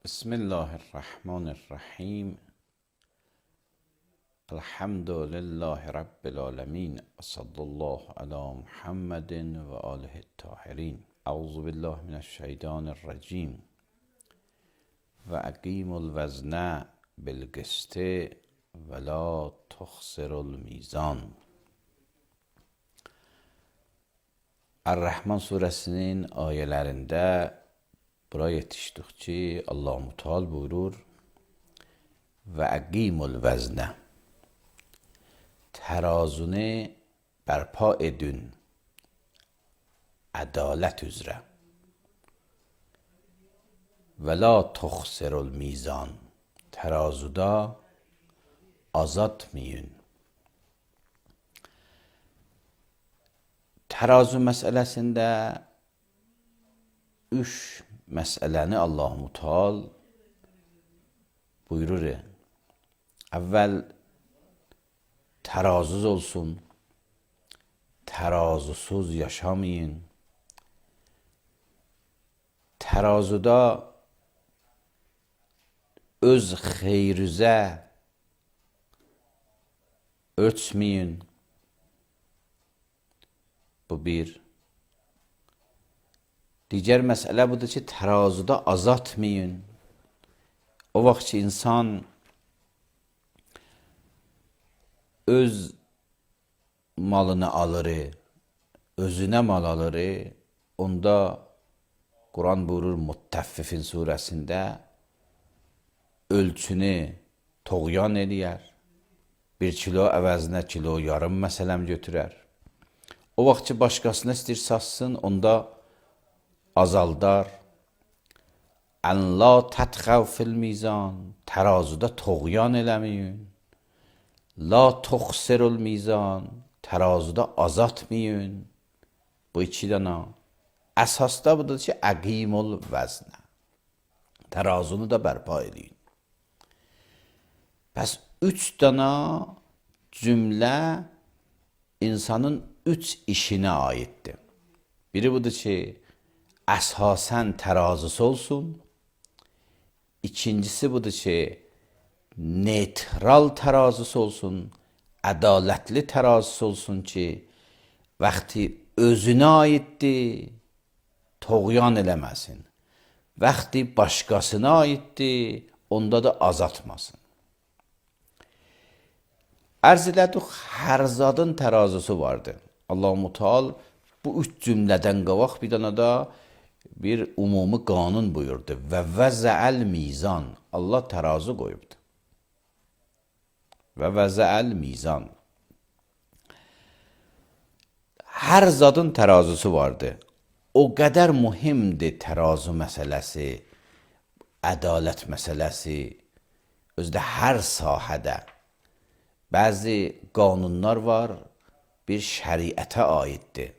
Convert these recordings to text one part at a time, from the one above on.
بسم الله الرحمن الرحیم. الحمد لله رب العالمین و صلی الله علی محمد و آله الطاهرین. اعوذ بالله من الشیطان الرجیم. و اقیم الوزن بالقسط ولا تخسر الميزان. Er-Rahman suresinin ayələrində bura yetişdik ki, Allah-u Teala buyurur: və əqimul vəznə, tərazunu bərpa edin ədalət üzrə, və la tuxsirul mizan, tərazuda azaltmayın. Tərazu məsələsində üç məsələni Allah-u Teala buyurur. Əvvəl tərazuz olsun, tərazusuz yaşamayın. Tərazuda öz xeyrinizə ölçməyin. Bu bir. Digər məsələ budur ki, tərazuda azaltmayın. O vaxt ki, insan öz malını alır, özünə mal alır, onda Quran buyurur Muttəffifin surəsində ölçünü toğyan eləyər. 1 kilo əvəzinə kilo yarım məsələm götürər. O vaxt ki, başqasına istəyir satsın, onda azaldar. Ən la tətxəv fil mizan, tərazuda toğyan eləməyin. La tuxsirul mizan, tərazuda azaltmayın. Bu iki dana. Əsasda budur ki, əqimul vəznə, tərazunu da bərpa edin. Bəs 3 dana cümlə insanın 3 işinə aiddir. Biri budur ki, əsasən tərazısı olsun. İkincisi budur ki, neytral tərazısı olsun, ədalətli tərazısı olsun ki, vaxtı özünə aiddir, toğyan eləməsin. Vaxtı başqasına aiddir, onda da azaltmasın. Ərz elədik, hər zadın tərazısı vardır. Allah-u Teala bu 3 cümlədən qabaq bir dana da bir ümumi qanun buyurdu. Və vəzəəl mizan, Allah tərazı qoyubdur. Və vəzəəl mizan. Hər zadın tərazısı vardır. O qədər mühimdir tərazı məsələsi, ədalət məsələsi, özdə hər sahədə. Bəzi qanunlar var, bir şəriətə aiddir.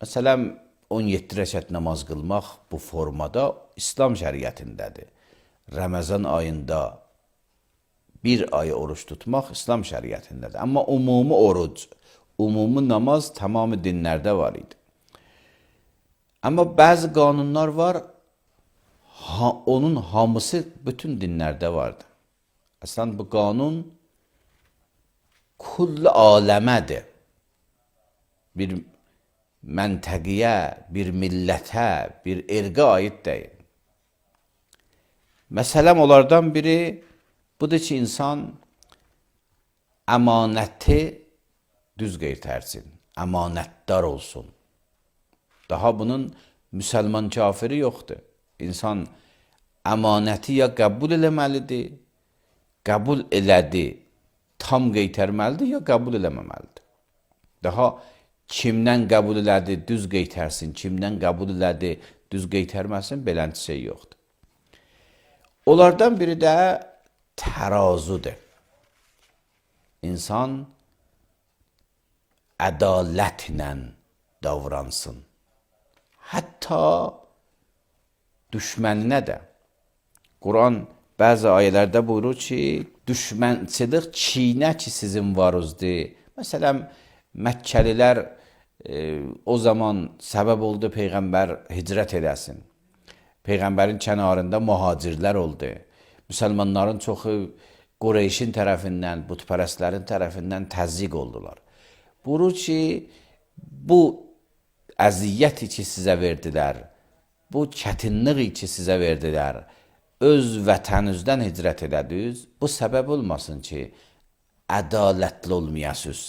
Məsələn, 17 rəkət namaz qılmaq bu formada İslam şəriətindədir. Ramazan ayında 1 ay oruç tutmaq İslam şəriətindədir. Amma ümumi oruc, ümumi namaz tamamı dinlərdə var idi. Amma bəzi qanunlar var, onun hamısı bütün dinlərdə vardı. Əslən, bu qanun kull aləmədir. Bir məntəqiyə, bir millətə, bir erqə aid deyil. Məsələn, onlardan biri budur ki, insan əmanəti düz qeytərsin, əmanətdar olsun. Daha bunun müsəlman kafiri yoxdur. İnsan əmanəti ya qəbul eləməlidir, qəbul elədi, tam qeytərməlidir, ya qəbul eləməməlidir. Daha kimdən qəbul elədi, düz qeytərsin, kimdən qəbul elədi, düz qeytərməsin, belənti şey yoxdur. Onlardan biri də tərazudur. İnsan ədalətlə davransın. Hətta düşməninə də. Quran bəzi ayələrdə buyurur ki, düşmənçilik çiynə ki sizin varızdır. Məsələn, Məkkəlilər o zaman səbəb oldu Peyğəmbər hicrət eləsin. Peyğəmbərin kənarında mühacirlər oldu. Müsəlmanların çoxu Qureyşin tərəfindən, bütpərəstlərin tərəfindən təzyiq oldular. Buyurur ki, bu əziyyəti ki sizə verdilər, bu çətinliyi ki sizə verdilər, öz vətəninizdən hicrət elədiniz, bu səbəb olmasın ki, ədalətli olmayasınız.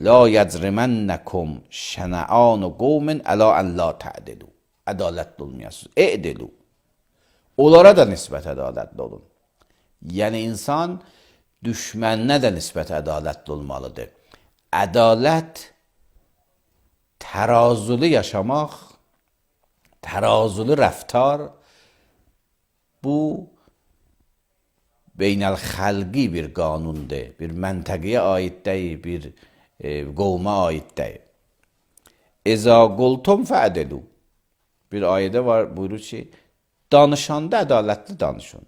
La yəcrimənnəkum şənəanu qovmin əla ən la tə'dilu. Ədalətli olmayasınız. E'dilu. Onlara da nisbət ədalətli olun. Yəni insan düşməninə də nisbət ədalətli olmalıdır. Ədalət tərazulu yaşamaq, tərazulu rəftar bu beynəlxalqi bir qanundur, bir məntəqəyə aid deyil, bir qovma aid deyil. Əza qultum fə'dilu. Bir ayədə var, buyurur ki, danışanda ədalətli danışın.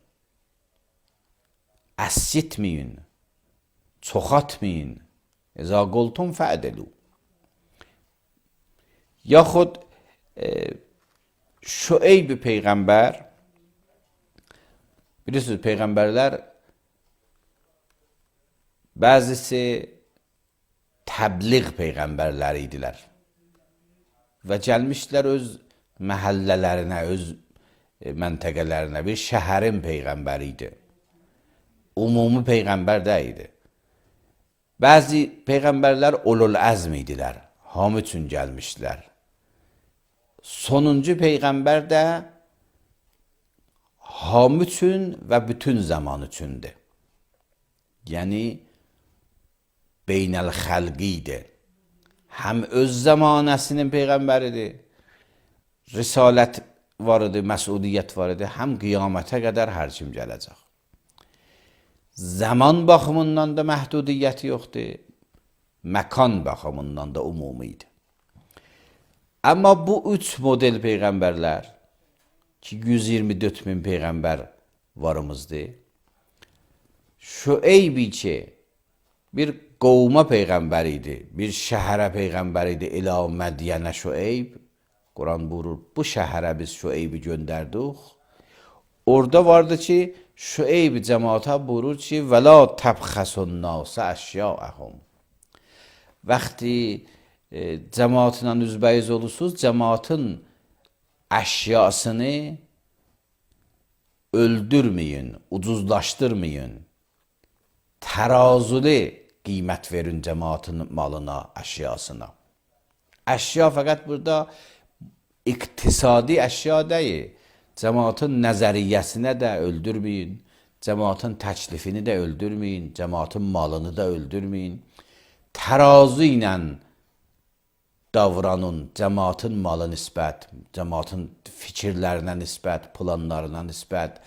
Əsitməyin, çoxatmayın. Əza qultum fə'dilu. Yaxud Şüeyb Peyğəmbər, bilirsiniz, Peyğəmbərlər bəzisi təbliğ Peyğəmbərləri idilər və gəlmişlər öz məhəllələrinə, öz məntəqələrinə, bir şəhərin Peyğəmbəri idi. Umumi Peyğəmbər deyildi. Bəzi Peyğəmbərlər ulul əzm idilər, hamı üçün gəlmişlər. Sonuncu Peyğəmbər də hamı üçün və bütün zaman üçündür. Yəni, beynəlxalqi idi. Həm öz zamanəsinin Peyğəmbəridir, risalət var idi, məsuliyyət var idi, həm qiyamətə qədər hər kim gələcək. Zaman baxımından da məhdudiyyəti yoxdur, məkan baxımından da umumi idi. Amma bu üç model Peyğəmbərlər ki, 124 min Peyğəmbər varımızdır. Şüeybi ki, bir qovma Peyğəmbər idi, bir şəhərə Peyğəmbər idi, İlə Mədyənə Şüeyb. Quran buyurur, bu şəhərə biz Şüeybi göndərdik. Orada vardı ki, Şüeyb cəmaata buyurur ki, və la təbxəsun nasə əşyaəhum. Vaxtı cəmaatla üzbəyiz olursunuz, cəmaatın əşyasını öldürməyin, ucuzlaşdırmayın. Tərazuli qiymət verin cəmaatın malına, əşyasına. Əşya fəqət burada iqtisadi əşya deyil. Cəmaatın nəzəriyyəsinə də öldürməyin, cəmaatın təklifini də öldürməyin, cəmaatın malını da öldürməyin. Tərazu ilə davranın, cəmaatın malı nisbət, cəmaatın fikirlərinə nisbət, planlarına nisbət,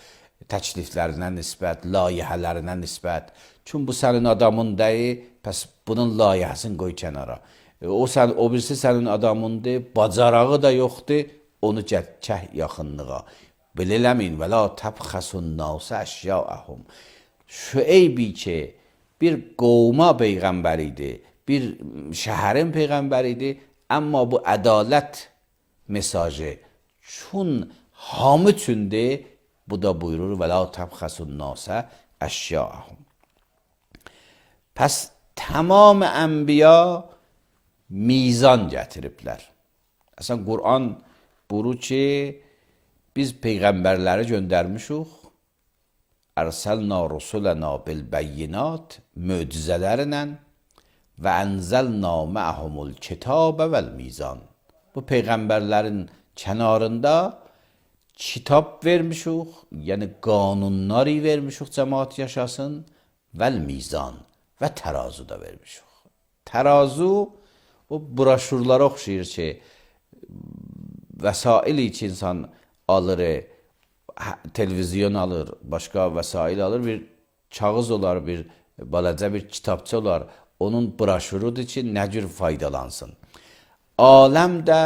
təkliflərinə nisbət, layihələrinə nisbət. Çünki bu sənin adamın deyil, pəs bunun layihəsini qoy kənara. O birisi sənin adamındır, bacarağı da yoxdur, onu çək yaxınlığa. Belə eləməyin, və la təbxəsun nasə əşyaəhum. Şüeybi ki, bir qovma Peyğəmbər idi, bir şəhərin Peyğəmbər idi, amma bu ədalət mesajı çün hamı üçündür, bu da buyurur, və la təbxəsun nasə əşyaəhum. Pəs tamam ənbiya mizan gətiriblər. Əslən, Quran buyurur ki, biz Peyğəmbərləri göndərmişik, ərsəlna rusulana bil bəyyinat, möcüzələrlə və ənzəlna mə'humul kitabə vəl mizan. Bu Peyğəmbərlərin kənarında kitab vermişik, yəni qanunları vermişik cəmaat yaşasın, vəl mizan və tərazu da vermişik. Tərazu o broşurlara oxşayır ki, vəsaili ki insan alır, televizyon alır, başqa vəsail alır, bir kağız olar, bir balaca bir kitabça olar, onun broşurudur ki, nə cür faydalansın. Aləm də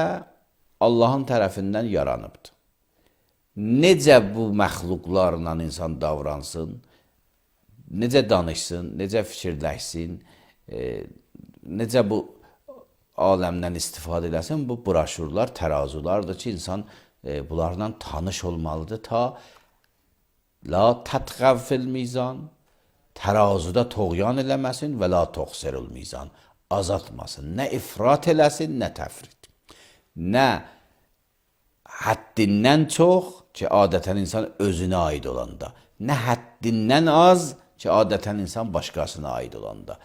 Allahın tərəfindən yaranıbdır. Necə bu məxluqlarla insan davransın, necə danışsın, necə fikirləşsin, necə bu aləmdən istifadə eləsin, bu broşurlar, tərazulardır ki, insan bunlarla tanış olmalıdır ta la tatğav fil mizan, tərazuda toğyan eləməsin və la toxsirul mizan, azaltmasın. Nə ifrat eləsin, nə təfrit. Nə həddindən çox ki, adətən insan özünə aid olanda, nə həddindən az ki, adətən insan başqasına aid olanda.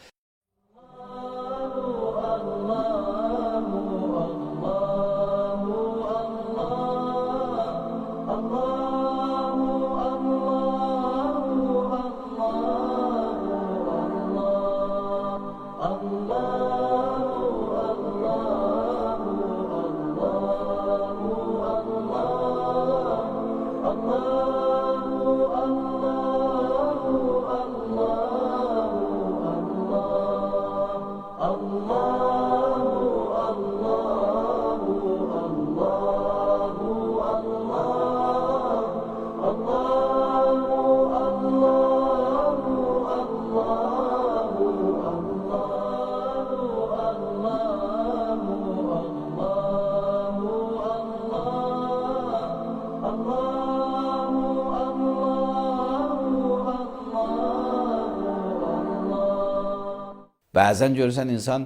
Bəzən görürsən insan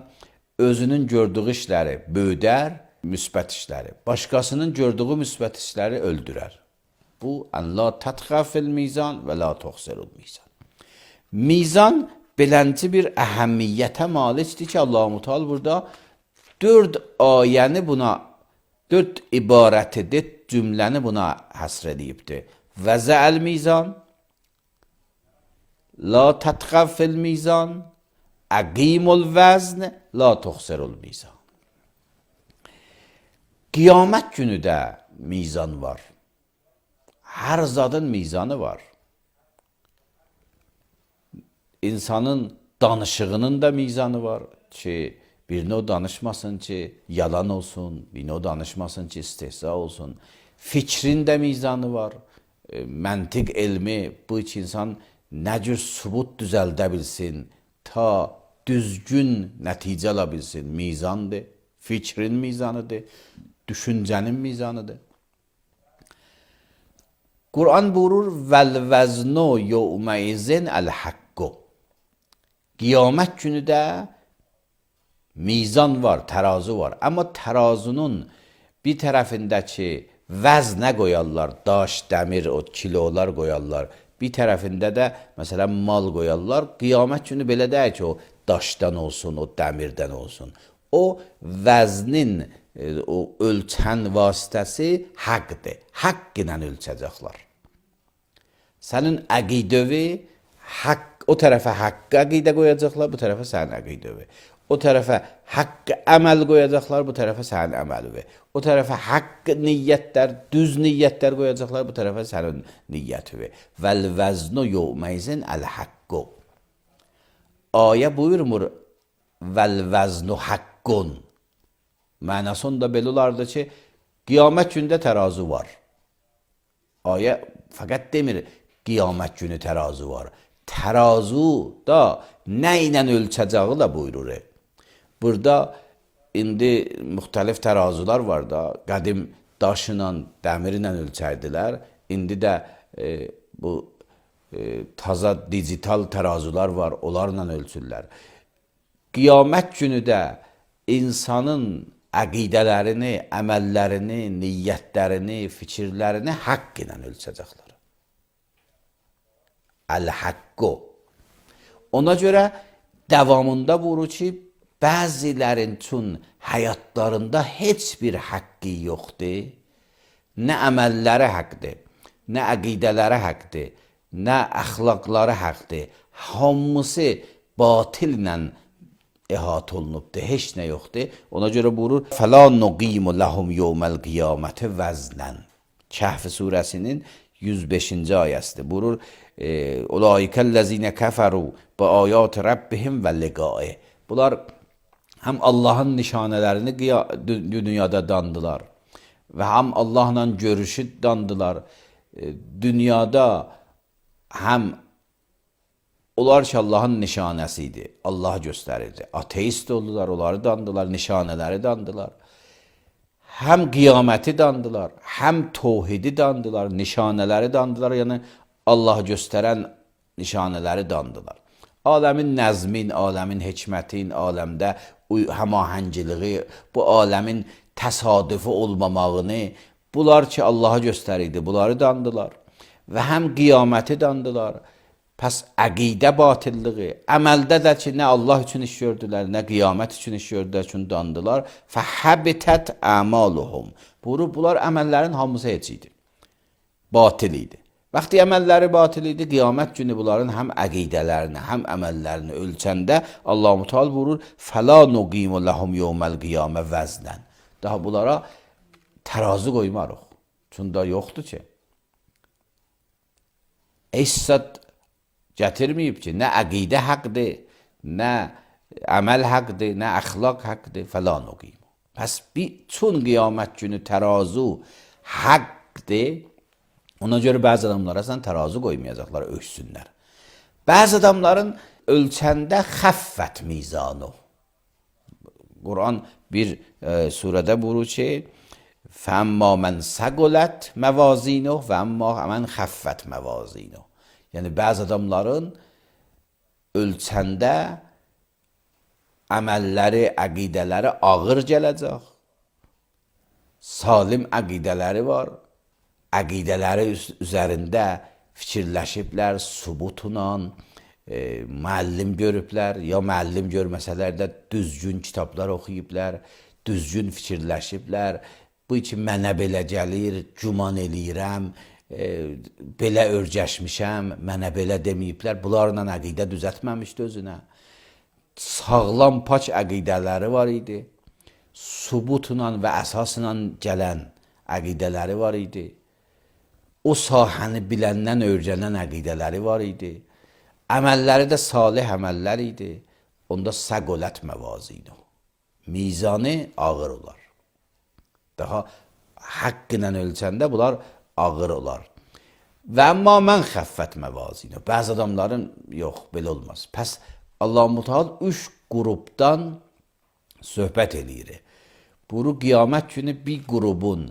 özünün gördüyü işləri böyüdər, müsbət işləri, başqasının gördüyü müsbət işləri öldürər. Bu, ən la tatğav fil mizan və la toxsirul mizan. Mizan belənci bir əhəmiyyətə malikdir ki, Allah-u Teala burada 4 ayəni buna, 4 ibarəti, 4 cümləni buna həsr edibdir. Vəzəəl mizan, la tatğav fil mizan, əqimul vəzn, la toxsirul mizan. Qiyamət günü də mizan var. Hər zadın mizanı var. İnsanın danışığının da mizanı var ki, birini o danışmasın ki, yalan olsun, birini o danışmasın ki, istehza olsun. Fikrin də mizanı var. Məntiq elmi, bu iki insan nə cür sübut düzəldə bilsin, ta düzgün nəticə ala bilsin, mizandır, fikrin mizanıdır, düşüncənin mizanıdır. Quran buyurur, vəl-vəznu yevməizin əl-haqqu. Qiyamət günü də mizan var, tərazu var. Amma tərazunun bir tərəfindəki vəznə qoyarlar, daş, dəmir, o kilolar qoyarlar. Bir tərəfində də, məsələn, mal qoyarlar. Qiyamət günü belə deyək ki, o daşdan olsun, o dəmirdən olsun. O vəznin, o ölçən vasitəsi haqqdır. Haqq ilə ölçəcəklər. Sənin əqidəvi, o tərəfə haqq əqidə qoyacaqlar, bu tərəfə sənin əqidəvi. O tərəfə haqq əməl qoyacaqlar, bu tərəfə sənin əməlivi. O tərəfə haqq niyyətlər, düz niyyətlər qoyacaqlar, bu tərəfə sənin niyyətivi. Vəl-vəznu yevməizin əl-haqqu. Ayə buyurmur, vəl-vəznu haqqun. Mənasında belə olardı ki, qiyamət gündə tərazu var. Ayə fəqət demir, qiyamət günü tərazu var. Tərazu da nə ilə ölçəcəyi da buyurur. Burada indi müxtəlif tərazular var da, qədim daşla, dəmirlə ölçərdilər. İndi də bu taza digital tərazular var, onlarla ölçürlər. Qiyamət günü də insanın əqidələrini, əməllərini, niyyətlərini, fikirlərini haqq ilə ölçəcəklər. Əl-haqqu. Ona görə davamında buyurur ki, bəzilərin üçün həyatlarında heç bir haqqı yoxdur. Nə əməlləri haqqdır, nə əqidələri haqqdır, nə əxlaqları haqqdır. Hamısı batillə əhatə olunubdur, heç nə yoxdur. Ona görə buyurur, فَلَا نُقِيمُ لَهُمْ يَوْمَ الْقِيَامَةِ وَزْنًا. Kəhf surəsinin 105-ci ayəsidir. Buyurur, Ulaikəl-ləzinə kəfəru bi ayat Rabbihim və liqaih. Bunlar həm Allahın nişanələrini dünyada dandılar və həm Allahla görüşü dandılar. Dünyada həm onlar ki Allahın nişanəsi idi, Allah göstərirdi. Ateist oldular, onları dandılar, nişanələri dandılar. həm qiyaməti dandılar, həm tövhidi dandılar, nişanələri dandılar, yəni Allah göstərən nişanələri dandılar. Aləmin nəzmin, aləmin hikmətin, aləmdə həmahəngiliği, bu aləmin təsadüfi olmamağını, bunlar ki Allaha göstərirdi, bunları dandılar. Və həm qiyaməti dandılar. Pəs əqidə batilliği, əməldə də ki, nə Allah üçün iş gördülər, nə qiyamət üçün iş gördülər, üçün dandılar. Fəhəbitət əmaluhum. Bunlar əməllərin hamısı heç idi. Batil idi. Vaxtı əməlləri batil idi, qiyamət günü bunların həm əqidələrini, həm əməllərini ölçəndə Allah-u Teala buyurur: "Fəla nuqimu lehum yevməl qiyamə vəznən." Daha bunlara tərazi qoymarıq. Çünki yoxdur ki. Əsad gətirməyib ki, nə əqidə haqqdır, nə əməl haqqdır, nə əxlaq haqqdır, fəla nuqimu. Pəs bütün qiyamət günü tərazu haqqdır. Ona görə bəzi adamlara sən tərazi qoymayacaqlar, ölçsünlər. Bəzi adamların ölçəndə xəffət mizanu. Quran bir surədə buyurur ki, فَاَمَّا مَنْ سَقُلَتْ مَوَازِينُهُ وَاَمَّا مَنْ خَفَّتْ مَوَازِينُهُ. Yəni bəzi adamların ölçəndə əməlləri, əqidələri ağır gələcək. Salim əqidələri var. Əqidələri üzərində fikirləşiblər, subutla, müəllim görüblər, ya müəllim görməsələr də düzgün kitablar oxuyublər, düzgün fikirləşiblər. Bu ki, mənə belə gəlir, güman eləyirəm, belə örgəşmişəm, mənə belə deməyiblər. Bunlarla əqidə düzətməmişdi özünə. Sağlam, pak əqidələri var idi. Subutla və əsasla gələn əqidələri var idi. O sahəni biləndən öyrənən əqidələri var idi. Əməlləri də salih əməllər idi. Onda səqolət məvazinu. Mizanı ağır olar. Daha haqq ilə ölçəndə bunlar ağır olar. Və amma mən xəffət məvazinu. Bəzi adamların yox, belə olmaz. Pəs Allah-u Teala 3 qrupdan söhbət eləyir. Bu qiyamət günü bir qrupun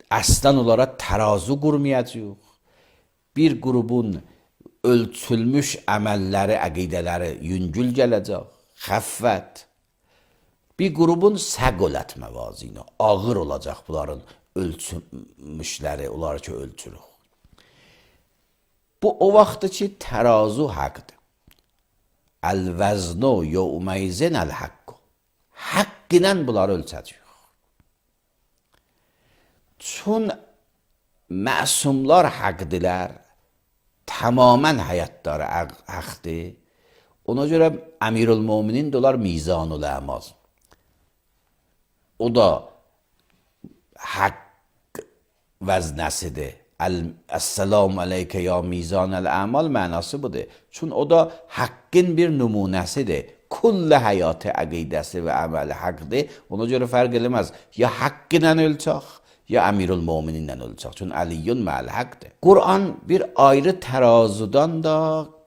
əslən olaraq tərazu qurmayacaq. Bir qrupun ölçülmüş əməlləri, əqidələri yüngül gələcək, xəffət. Bir qrupun səqolət məvazinu, ağır olacaq bunların ölçülmüşləri, onları ki ölçürük. Bu o vaxtdır ki, tərazu haqdır. Əl-vəznu yevmeyzin əl-haqqu. Haqq ilə bunları ölçəcək. Çün məsumlar haqdilər, tamamən həyatları haqdır. Ona görə Əmirül-Möminin dolar mizanul əmal. O da haqq vəznəsidir. Əssəlamu aleykə ya mizanəl əmal mənası budur. Çünki o da haqqın bir nümunəsidir. Kullə həyatı əqidəsi və əməli haqdır. Ona görə fərq eləməz. Ya haqq ilə ölçək, ya Əmirül-Mömininlə ölçək. Çünki əliyyun mə'al haqqdır. Quran bir ayrı tərazudan da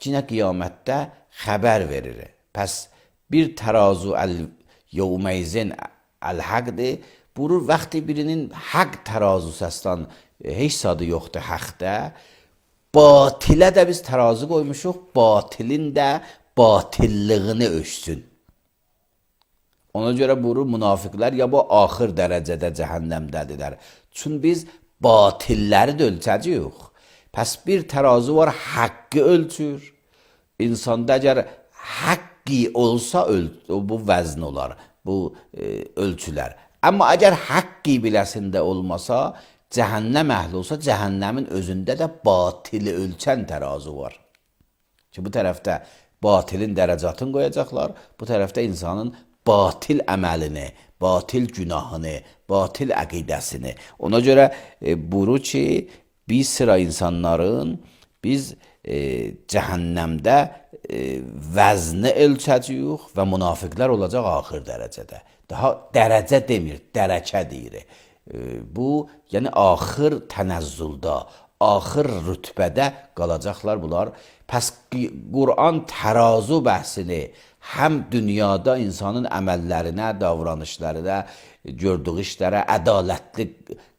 yine qiyamətdə xəbər verir. Pəs bir tərazu yevmeyzin əl-haqdır. Buyurur, vaxtı birinin haqq tərazusu əslən heç sadı yoxdur haqda. Batilə də biz tərazu qoymuşuq, batilin də batillığını ölçsün. Ona görə buyurur, münafiqlər ya bu axır dərəcədə cəhənnəmdədirlər. Çünki biz batilləri də ölçəcəyik. Pəs bir tərazu var, haqqı ölçür. İnsanda əgər haqqi olsa bu vəzn olar, bu ölçülər. Amma əgər haqqi biləsində olmasa, cəhənnəm əhli olsa, cəhənnəmin özündə də batili ölçən tərazu var. Ki bu tərəfdə batilin dərəcatını qoyacaqlar, bu tərəfdə insanın batil əməlini, batil günahını, batil əqidəsini. Ona görə buyurur ki, bir sıra insanların biz cəhənnəmdə vəzni ölçəcəyik və münafiqlər olacaq axır dərəcədə. Daha dərəcə demir, dərəcə deyir. Bu, yəni axır tənəzzüldə, axır rütbədə qalacaqlar bunlar. Pəs Quran tərazu bəhsini həm dünyada insanın əməllərinə, davranışlarına, gördüyü işlərə, ədalətli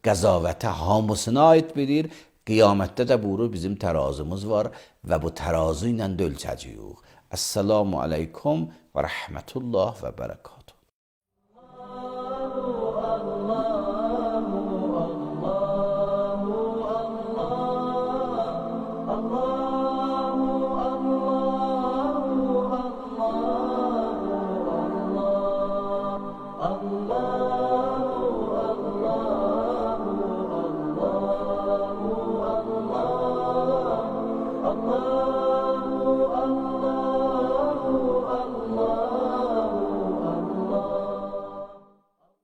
qəzavətə hamısına aid bilir. Qiyamətdə də buyurur bizim tərazımız var və bu tərazı ilə də ölçəcəyik. Əssalamu aleykum və rəhmətullah və bərəkət.